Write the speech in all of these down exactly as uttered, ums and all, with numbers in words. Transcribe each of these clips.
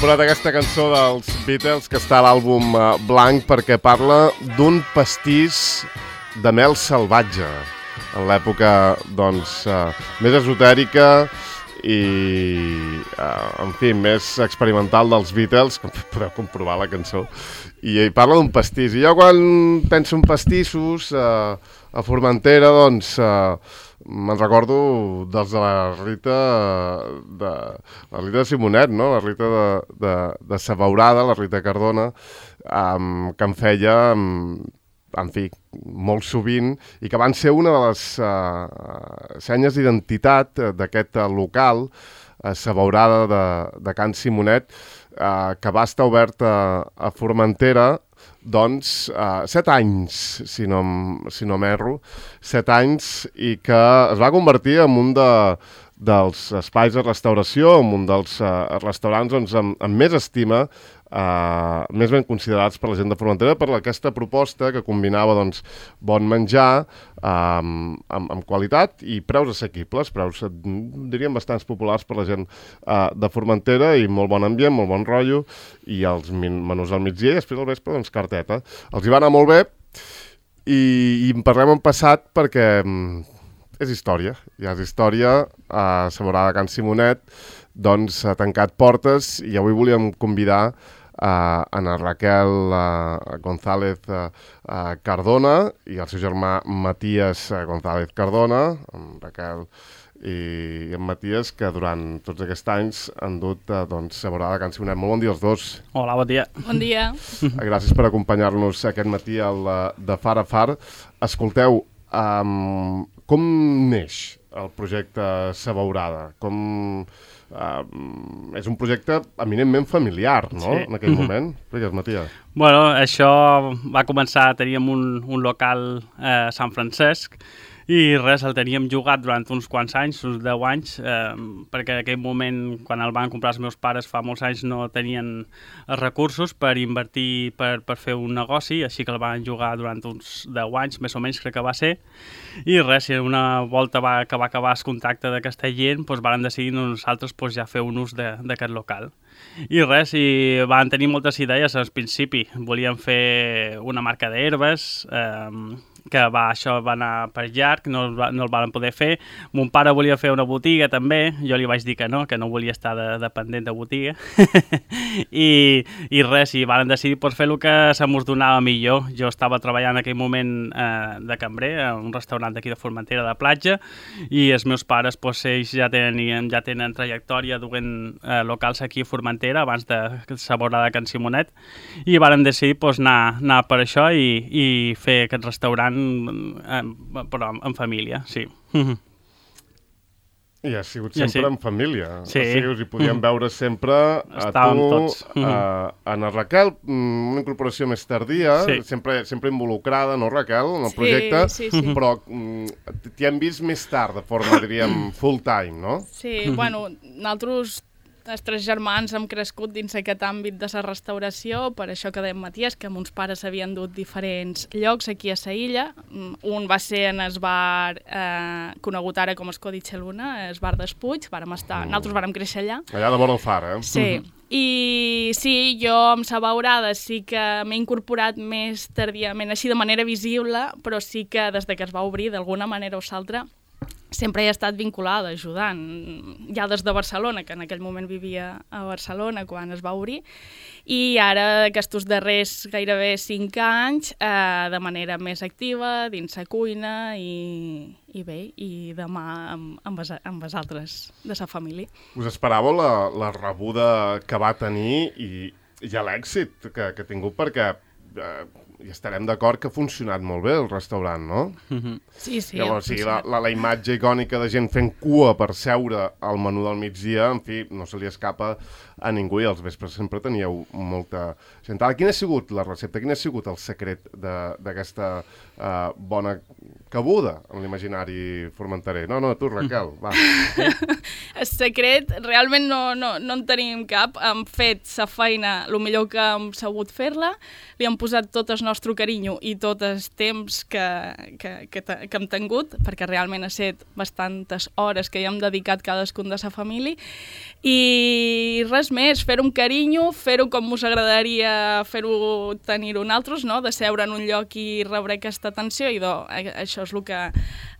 posat aquesta cançó dels Beatles que està a l'àlbum uh, blanc perquè parla d'un pastís de mel salvatge en l'època, doncs, uh, més esotèrica i, uh, en fi, més experimental dels Beatles, com podeu comprovar la cançó, i, i parla d'un pastís. I jo quan penso en pastissos uh, a Formentera, doncs... Uh, me'n recordo dels de la Rita de, la Rita de Simonet, no? La Rita de, de, de Sabaurada, la Rita Cardona, um, que em feia, um, en fi, molt sovint, i que van ser una de les uh, senyes d'identitat d'aquest uh, local, uh, Sabaurada de, de Can Simonet, uh, que va estar obert a, a Formentera, doncs, uh, set anys, si no, si no m'erro, set anys, i que es va convertir en un de, dels espais de restauració, en un dels uh, restaurants doncs, amb, amb més estima, uh, més ben considerats per la gent de Formentera, per aquesta proposta que combinava doncs, bon menjar um, amb, amb qualitat i preus assequibles, preus, diríem, bastants populars per la gent uh, de Formentera, i molt bon ambient, molt bon rotllo, i els menús al migdia i després al vespre, doncs, carteta. Els hi va anar molt bé, i, i en parlem en passat perquè um, és història, ja és història. A Sabaurada de Can Simonet doncs ha tancat portes, i avui volíem convidar a Ana Raquel uh, González uh, uh, Cardona i el seu germà Matías uh, González Cardona, en Raquel i en Matías, que durant tots aquests anys han dut uh, doncs, Sabaurada de Can Simonet. Molt bon dia als dos. Hola, bon dia. Bon dia. Gràcies per acompanyar-nos aquest matí al uh, de Far a Far. Escolteu, um, com neix el projecte Sabaurada? Com... Uh, és un projecte eminentment familiar, no?, sí. En aquell moment. Digues, Matías. Bueno, això va començar, teníem un, un local eh, a Sant Francesc, i res, el teníem jugat durant uns quants anys, uns deu anys, eh, perquè en aquell moment, quan el van comprar els meus pares fa molts anys, no tenien els recursos per invertir, per, per fer un negoci, així que el van jugar durant uns deu anys, més o menys crec que va ser, i res, si una volta va, que va acabar el contacte d'aquesta gent, doncs van decidir nosaltres doncs, ja fer un ús d'aquest local. I res, i van tenir moltes idees al principi. Volíem fer una marca d'herbes, eh, que va, això va anar per llarg, no, no el van poder fer. Mon pare volia fer una botiga també, jo li vaig dir que no, que no volia estar de, dependent de botiga. I, I res, i van decidir pues, fer el que se mos donava millor. Jo estava treballant en aquell moment eh, de cambrer, a un restaurant d'aquí de Formentera de platja, i els meus pares, pues, ells ja tenen, ja tenen trajectòria duent eh, locals aquí a Formentera, abans de Sabaurada de Can Simonet, i van decidir pues, anar, anar per això i, i fer aquest restaurant però en família, sí. I ha sigut sempre ja, sí. en família. Sí. O sigui, us hi podíem mm. veure sempre a Estàvem tu, tots. a Ana Raquel, una incorporació més tardia, sí. sempre, sempre involucrada, no, Raquel, en el projecte, sí, sí, sí. però t'hi hem vist més tard, de forma, diríem, full time, no? Sí, bueno, nosaltres... Els tres germans hem crescut dins aquest àmbit de la restauració, per això que dèiem Matías, que mons pares havien dut diferents llocs aquí a la illa. Un va ser en el bar eh, conegut ara com el Codice Luna, el bar d'Espuig, vàrem estar, mm. nosaltres vàrem créixer allà. Allà de vora el far, eh? Sí, i sí, jo amb Sabaurada sí que m'he incorporat més tardíament, així de manera visible, però sí que des de que es va obrir, d'alguna manera o l'altra, sempre he estat vinculada, ajudant, ja des de Barcelona, que en aquell moment vivia a Barcelona quan es va obrir, i ara aquests darrers gairebé cinc anys eh, de manera més activa, dins la cuina i, i bé, i demà amb, amb, es, amb els altres de la família. Us esperàveu la, la rebuda que va tenir i, i l'èxit que, que ha tingut, perquè eh, i estarem d'acord que ha funcionat molt bé el restaurant, no? Mm-hmm. Sí, sí. Llavors, o sigui, la, la, la imatge icònica de gent fent cua per seure al menú del migdia, en fi, no se li escapa a ningú, i als vespres sempre teníeu molta gentada. Quina ha sigut la recepta? Quin ha sigut el secret d'aquesta uh, bona cabuda en l'imaginari formenterer. No, no, tu, Raquel, va. El secret, realment no, no, no en tenim cap. Hem fet la feina el millor que hem sabut fer-la, li hem posat tot el nostre carinyo i tot el temps que, que, que, que hem tingut, perquè realment ha estat bastantes hores que hi hem dedicat cadascun de la família, i res més, fer-ho amb carinyo, fer-ho com us agradaria fer-ho tenir-ho nosaltres, no? De seure en un lloc i rebre aquesta atenció, i do, això és el que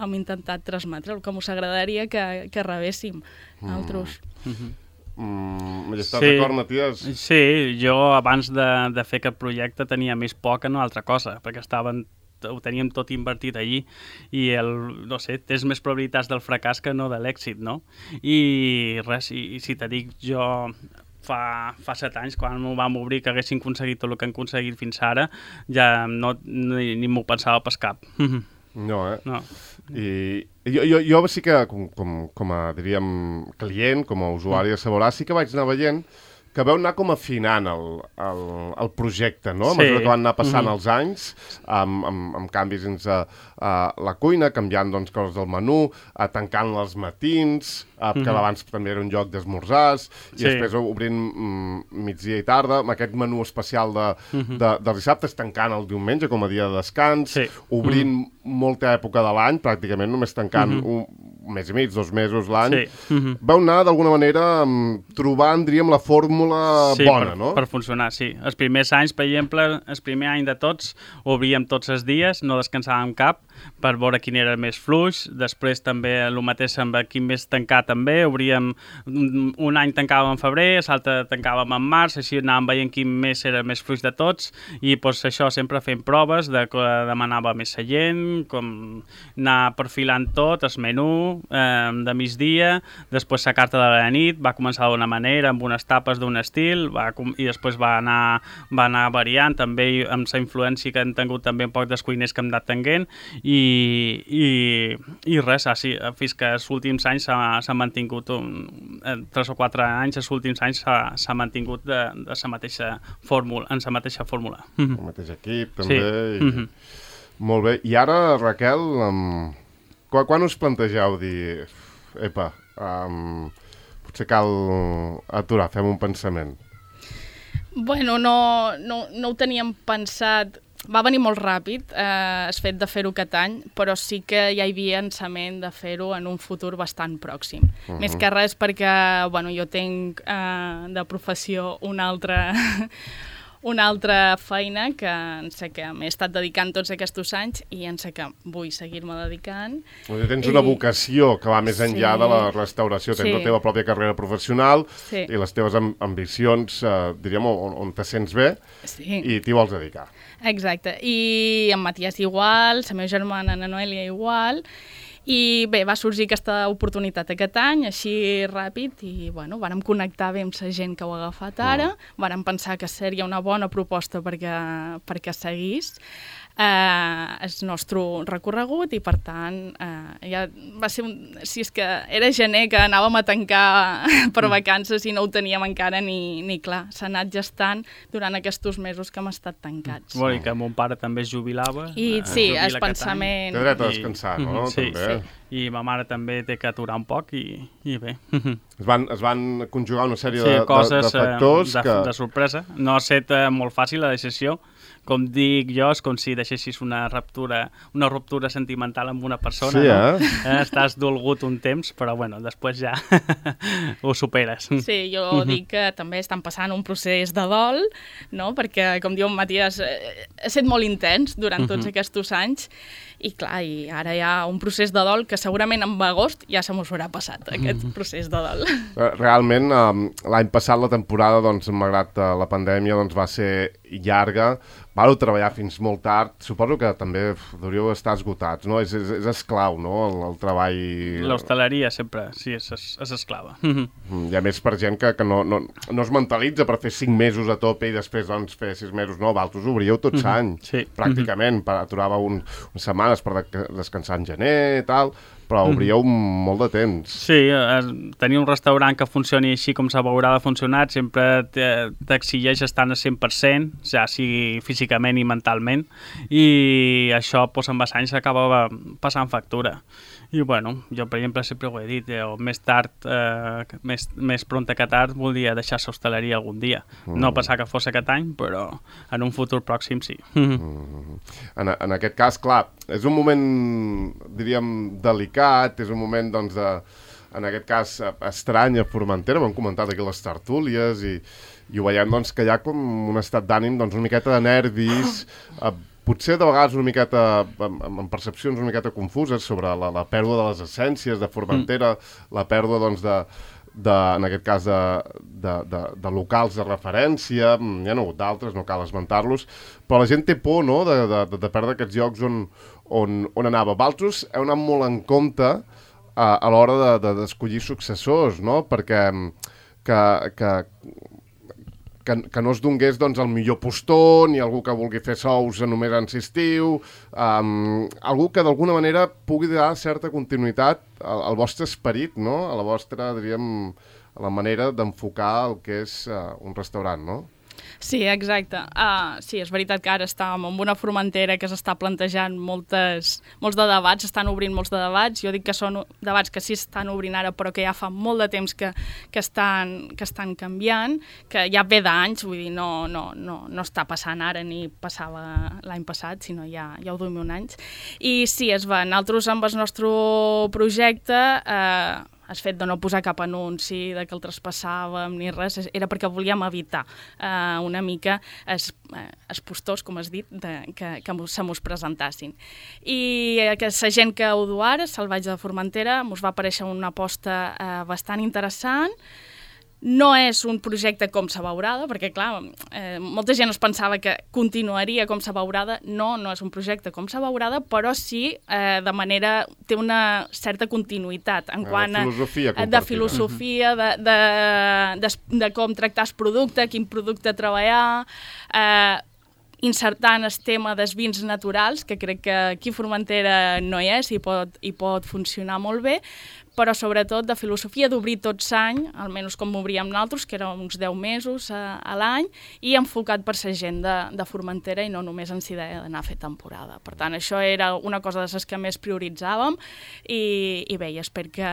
hem intentat transmetre, el que us agradaria que, que rebéssim nosaltres. Mm. Mm, Majestat, Sí. d'acord, Matías? Sí, jo abans de, de fer aquest projecte tenia més por que no altra cosa, perquè estaven, ho teníem tot invertit allí i el, no sé, tens més probabilitats del fracàs que no de l'èxit, no? I res, i, i si te dic jo fa, fa set anys, quan m'ho vam obrir, que haguessin aconseguit tot el que han aconseguit fins ara, ja no, ni, ni m'ho pensava pas cap. No, eh? No. I jo, jo, jo sí que, com, com, com a, diríem, client, com a usuari de Saborà, sí que vaig anar veient que veu anar com afinant el, el, el projecte, no? A Sí. mesura que van anar passant Mhm. els anys, amb, amb, amb canvis dins a, a la cuina, canviant doncs, coses del menú, a tancant els matins, a, que Mhm. abans també era un lloc d'esmorzars, i Sí. després obrint mm, migdia i tarda, amb aquest menú especial de, Mhm. de, dels dissabtes, tancant el diumenge com a dia de descans, Sí. obrint molta època de l'any, pràcticament només tancant Mhm. un, un mes i mig, dos mesos l'any. Sí. Mhm. Vau anar, d'alguna manera, mm, trobant, diríem, la fórmula Sí, bona, per, no? per funcionar, sí. Els primers anys, per exemple, el primer any de tots, obríem tots els dies, no descansàvem cap, per veure quin era el més fluix. Després també el mateix amb quin més tancar també. Obríem, un, un any tancàvem en febrer, l'altre tancàvem en març, així anàvem veient quin mes era el més fluix de tots, i doncs, això sempre fent proves de que demanava més gent, com anar perfilant tot, el menú eh, de migdia, després la carta de la nit, va començar d'una manera, amb unes tapes d'un estil, va, com- i després va anar, va anar variant, també amb la influència que han tingut també un poc dels cuiners que hem anat tenint, i, i, i res, així, fins que els últims anys s'ha s'ha mantingut, un, eh, tres o quatre anys, els últims anys s'ha s'ha mantingut de, de la mateixa fórmula, en la mateixa fórmula. El mateix equip, també. Sí. I... Mhm. Molt bé. I ara, Raquel, um, quan, quan us plantegeu dir, epa, um, potser cal aturar, fem un pensament? Bueno, no, no, no ho teníem pensat. Va venir molt ràpid eh, el fet de fer-ho aquest any, però sí que ja hi havia pensament de fer-ho en un futur bastant pròxim. Uh -huh. Més que res perquè bueno, jo tinc eh, de professió una altra, una altra feina que en sé que m'he estat dedicant tots aquests anys i en sé que vull seguir-me dedicant. Doncs tens una I- vocació que va més enllà Sí. de la restauració. Tens Sí. la teva pròpia carrera professional Sí. i les teves am ambicions, eh, diríem, on, on te sents bé Sí. i t'hi vols dedicar. Exacte, i en Matías igual, la meva germana na Noelia igual, i bé, va sorgir aquesta oportunitat aquest any, així ràpid, i bueno, vàrem connectar bé amb la gent que ho ha agafat ara, vàrem pensar que seria una bona proposta perquè, perquè seguís eh, el nostre recorregut, i per tant eh, ja va ser un... Si és que era gener que anàvem a tancar per vacances i no ho teníem encara ni, ni clar, s'ha anat gestant durant aquests mesos que hem estat tancats. Bueno, i que mon pare també es jubilava. I eh, sí, jubila el aquest any. pensament... Té dret a I- descansar, no? Mhm, sí, també. sí. I ma mare també té que aturar un poc i, i bé. Es van, es van conjugar una sèrie Sí, de, de, coses de factors eh, de, que... de sorpresa. No ha estat eh, molt fàcil la decisió. Com dic jo, és com si deixessis una ruptura, una ruptura sentimental amb una persona, Sí, no? eh? Eh, Estàs dolgut un temps, però bueno, després ja ho superes. Sí, jo dic que també estan passant un procés de dol, no? Perquè, com diu en Matías, eh, ha estat molt intens durant tots aquests anys, i clar, i ara hi ha un procés de dol que segurament en agost ja se mos haurà passat, aquest procés de dol. Eh, Realment, um, l'any passat la temporada, doncs, malgrat uh, la pandèmia, doncs, va ser llarga. Vau treballar fins molt tard. Suposo que també uf, deuríeu estar esgotats, no? És, és, és esclau, no?, el, el treball... L'hostaleria sempre, sí, és, és esclava. Mm, I a més per gent que, que no, no, no es mentalitza per fer cinc mesos a tope i després doncs, fer sis mesos. No, vosaltres obríeu tot l'any, Sí. pràcticament. Per, aturava un, unes setmanes per de, descansar en gener i tal, però obríeu mm. molt de temps. Sí, eh, tenir un restaurant que funcioni així com s'haurà de funcionar sempre t'exigeix estar al cent per cent, ja sigui físicament i mentalment, i això doncs, amb els anys s'acaba passant factura. I bueno, jo per exemple sempre ho he dit, jo, més tard, eh, més, més pronta que tard, voldria deixar l'hostaleria algun dia. Mm. No passar que fos aquest any, però en un futur pròxim sí. Mm. En, en aquest cas, clar, és un moment, diríem, delicat, és un moment, doncs, de, en aquest cas, estrany a Formentera, ho hem comentat aquí les tertúlies, i, i ho veiem, doncs, que hi ha com un estat d'ànim, doncs, una miqueta de nervis, eh, potser de vegades una miqueta, amb, amb percepcions una miqueta confuses sobre la, la pèrdua de les essències de Formentera, mm. la pèrdua, doncs, de, de, en aquest cas, de, de, de, de locals de referència, hi ha hagut d'altres, no cal esmentar-los, però la gent té por, no?, de, de, de perdre aquests llocs on, on, on anava. Valtros heu anat molt en compte a, a l'hora de, de, d'escollir successors, no?, perquè que, que Que, que no es donés doncs, el millor postó, ni algú que vulgui fer sous només en estiu, um, algú que d'alguna manera pugui donar certa continuïtat al, al vostre esperit, no? A la vostra, diríem, a la manera d'enfocar el que és uh, un restaurant, no? Sí, exacte. Uh, sí, és veritat que ara estàvem en una Formentera que s'està plantejant moltes, molts de debats, s'estan obrint molts de debats. Jo dic que són debats que sí estan obrint ara, però que ja fa molt de temps que, que, estan, que estan canviant, que ja ve d'anys, vull dir, no, no, no, no està passant ara ni passava l'any passat, sinó ja, ja ho duim un anys. I sí, es va, nosaltres amb el nostre projecte... Uh, el fet de no posar cap anunci, de que el traspassàvem ni res, era perquè volíem evitar eh, una mica els, els postors, com has dit, de, que, que se mos presentassin. I que la gent que ho du ara, Salvatge de Formentera, mos va aparèixer una aposta eh, bastant interessant. No és un projecte com Sa Beurada, perquè, clar, eh, molta gent es pensava que continuaria com Sa Beurada. No, no és un projecte com Sa Beurada, però sí, eh, de manera... té una certa continuïtat en quant a... filosofia de filosofia, de, de, de, de com tractar el producte, quin producte treballar... Eh, insertant el tema dels vins naturals, que crec que aquí a Formentera no hi és i pot, i pot funcionar molt bé, però sobretot de filosofia d'obrir tot l'any, almenys com obríem nosaltres, que eren uns deu mesos a, a l'any, i enfocat per la gent de, de Formentera i no només en si d'anar a fer temporada. Per tant, això era una cosa de les que més prioritzàvem i, i bé, espero que,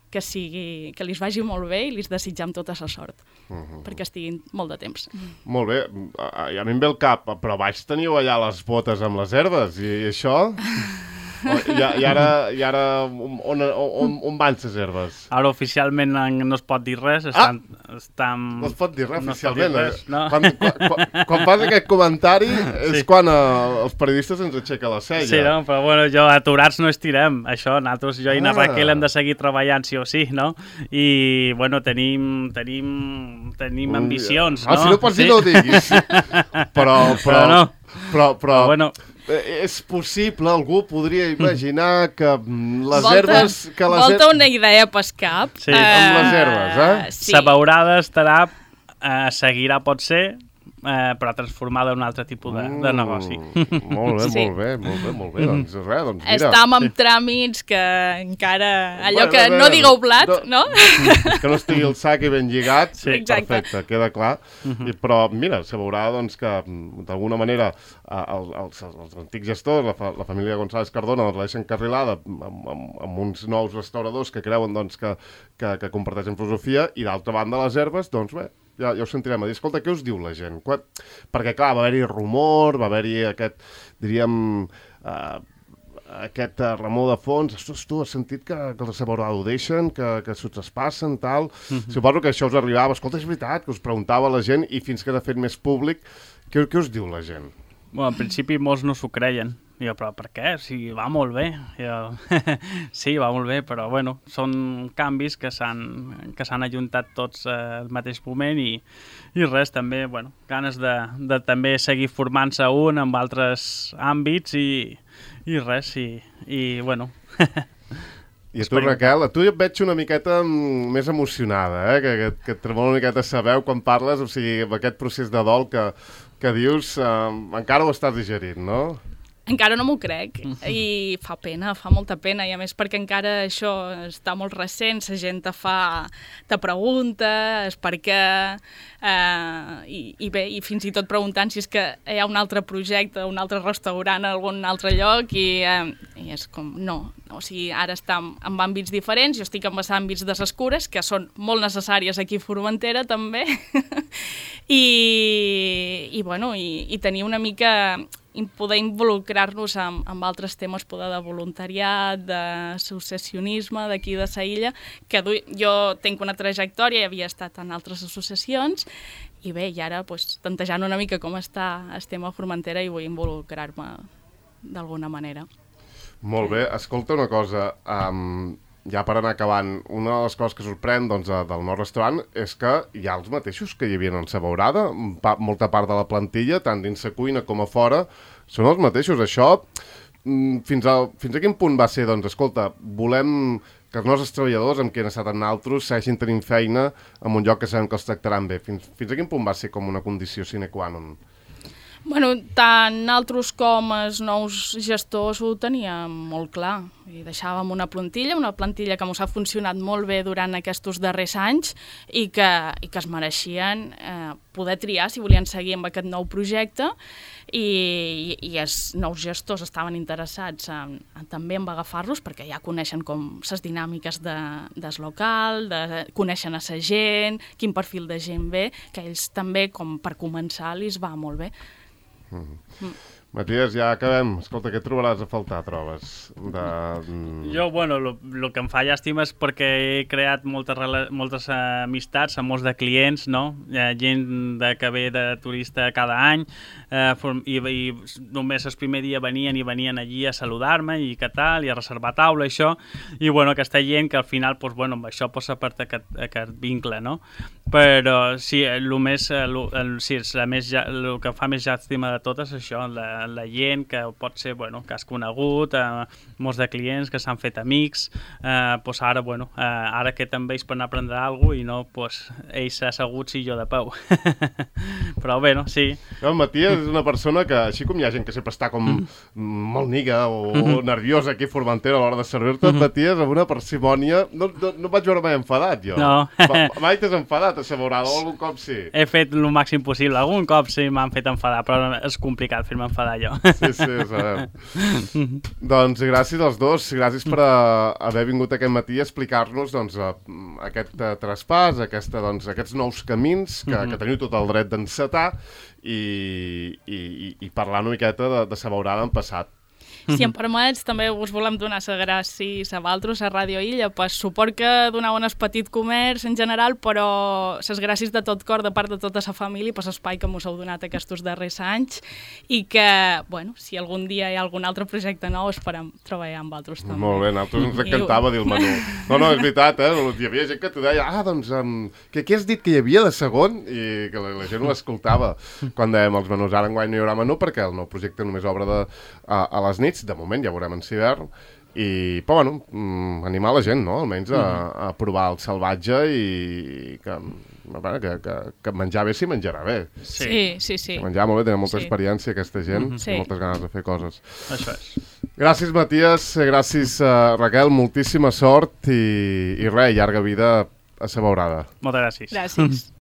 que, sigui, que li vagi molt bé i li desitjam tota la sort, uh-huh. perquè estiguin molt de temps. Molt bé, a, a mi em ve el cap, però baix teniu allà les botes amb les herbes, i, i això... I, i ara, i ara on, on, on van les herbes? Ara oficialment no es pot dir res. Estan, ah! estan... No es pot dir res no oficialment. Dir res, no? quan, quan, quan fas aquest comentari és sí. quan uh, els periodistes ens aixeca la cella. Sí, no? Però bueno, jo aturats no estirem. Això, nosaltres, jo i na ah. Raquel hem de seguir treballant sí o sí, no? I, bueno, tenim, tenim, tenim Ui, ambicions, ah, no? Si no pots dir, sí? No ho diguis. Però, però, però no. Però, però, però bueno... És possible, algú podria imaginar que les volta, herbes... Que les volta her... una idea pas cap. Sí. Uh, amb les herbes, eh? Sí. Sa Beurada estarà, eh, seguirà, pot ser, eh, però transformada en un altre tipus de, de negoci. Mm, molt bé, sí. molt bé, molt bé, molt bé. Doncs res, doncs mira. Estam amb sí. tràmits que encara... Allò bueno, que bé, no digueu blat, no? no? Que no estigui el sac i ben lligat. Sí. Exacte. Perfecte, queda clar. Uh-huh. I, però mira, se veurà doncs, que d'alguna manera els, els, els antics gestors, la, fa, la família González Cardona, doncs, la deixen carrilada amb, amb, amb uns nous restauradors que creuen doncs, que, que, que comparteixen filosofia, i d'altra banda les herbes, doncs bé, ja, ja ho sentirem a dir. Escolta, què us diu la gent? Quan... Perquè, clar, va haver-hi rumor, va haver-hi aquest, diríem, uh, aquest uh, remor de fons. Ostres, tu has sentit que, que els de Sa Beurada ho deixen, que, que s'ho traspassen, tal... Mm-hmm. Suposo que això us arribava. Escolta, és veritat, que us preguntava la gent, i fins que era fet més públic, què, què us diu la gent? Bueno, en principi molts no s'ho creien. Jo, però per què? Si va molt bé. Jo... sí, va molt bé, però bueno, són canvis que s'han que s'han ajuntat tots eh, al mateix moment i, i res, també, bueno, ganes de, de també seguir formant-se un amb altres àmbits i, i res, i, i bueno... I a tu, Raquel, a tu et veig una miqueta més emocionada, eh? que, que, que et tremola una miqueta sabeu quan parles, o sigui, amb aquest procés de dol que, que dius, eh, encara ho estàs digerint, no? Encara no m'ho crec i fa pena, fa molta pena i a més perquè encara això està molt recent, la gent te fa, te pregunta, és perquè eh, i, i bé, i fins i tot preguntant si és que hi ha un altre projecte, un altre restaurant a algun altre lloc i, eh, i és com, no, o sigui, ara està en, en àmbits diferents, jo estic en els àmbits de les cures, que són molt necessàries aquí a Formentera també, i, i bueno, i, i tenir una mica poder involucrar-nos amb, amb altres temes, poder de voluntariat, d'associacionisme d'aquí de la illa, que du, jo tinc una trajectòria, havia estat en altres associacions, i bé, i ara pues, tantejant una mica com està el tema a Formentera i vull involucrar-me d'alguna manera. Molt bé, escolta una cosa, um, ja per anar acabant, una de les coses que sorprèn doncs, del nou restaurant és que hi ha els mateixos que hi havia en la beurada, pa, molta part de la plantilla, tant dins la cuina com a fora, són els mateixos. Això, fins a, fins a quin punt va ser, doncs, escolta, volem que els nostres treballadors, amb qui han estat en altres, segueixin tenint feina en un lloc que sabem que els tractaran bé. Fins, fins a quin punt va ser com una condició sine qua non? Bueno, tant altres com els nous gestors ho teníem molt clar. I deixàvem una plantilla, una plantilla que ens ha funcionat molt bé durant aquests darrers anys i que, i que es mereixien eh, poder triar si volien seguir amb aquest nou projecte i, i, i els nous gestors estaven interessats en, en, també en agafar-los perquè ja coneixen com les dinàmiques de, del local, de, coneixen a la gent, quin perfil de gent ve, que ells també, com per començar, li va molt bé. Mm-hmm. Mm. Matías, ja acabem. Escolta, què trobaràs a faltar, trobes? De... Jo, bueno, el que em fa llàstima és perquè he creat moltes, moltes amistats amb molts de clients, no? Gent de, que ve de turista cada any eh, i, i només el primer dia venien i venien allí a saludar-me i què tal, i a reservar taula, això. I, bueno, aquesta gent que al final, pues, bueno, amb això posa part aquest, aquest vincle, no? Però sí, el, més, el, el, sí, el, més, el que fa més llàstima de tot és això, la, la gent que pot ser, bueno, que has conegut, eh, molts de clients que s'han fet amics, eh, pues ara, bueno, eh, ara que també ells per anar a prendre alguna cosa i no, pues, ells asseguts i jo de peu. Però bé, no? Sí. No, Matías és una persona que, així com hi ha gent que sempre està com mm. molt niga o mm-hmm. nerviosa aquí a Formentera a l'hora de servir-te, mm-hmm. Matías amb una parsimònia, no, no, no vaig veure mai enfadat, jo. No. Mai t'has enfadat a la beurada o algun cop sí? He fet el màxim possible, algun cop sí m'han fet enfadar, però és complicat fer-me enfadar jo. Sí, sí, ho sabem. Doncs gràcies als dos, gràcies per a, haver vingut aquest matí a explicar-nos doncs, a, a aquest uh, traspàs, aquesta, doncs, aquests nous camins que, mm-hmm. que teniu tot el dret d'encetar i, i, i, i parlar una miqueta de, de sa beurada en passat. Si em permets, també us volem donar les gràcies a vosaltres, a Ràdio Illa, pel suport que donau en el petit comerç en general, però les gràcies de tot cor de part de tota la família per l'espai que mos heu donat aquests darrers anys i que, bueno, si algun dia hi ha algun altre projecte nou, esperem treballar amb vosaltres també. Molt bé, a nosaltres ens encantava dir el menú. No, no, és veritat, eh? Hi havia gent que t'ho deia, ah, doncs, um, que què has dit que hi havia de segon? I que la, la gent ho escoltava quan dèiem els menús. Ara enguany no hi haurà menú perquè el nou projecte només obre de, a, a les nits, de moment ja veurem en hivern, i, però bueno, mm, animar la gent, no? Almenys a, a provar el salvatge i que, que, que, que menjar bé s'hi menjarà bé. Sí, sí, sí. Que menjar molt bé, tenen molta sí. experiència aquesta gent, mm-hmm. sí. i moltes ganes de fer coses. Això és. Gràcies, Matías, gràcies, uh, Raquel, moltíssima sort i, i res, llarga vida a sa beurada. Moltes gràcies. Gràcies.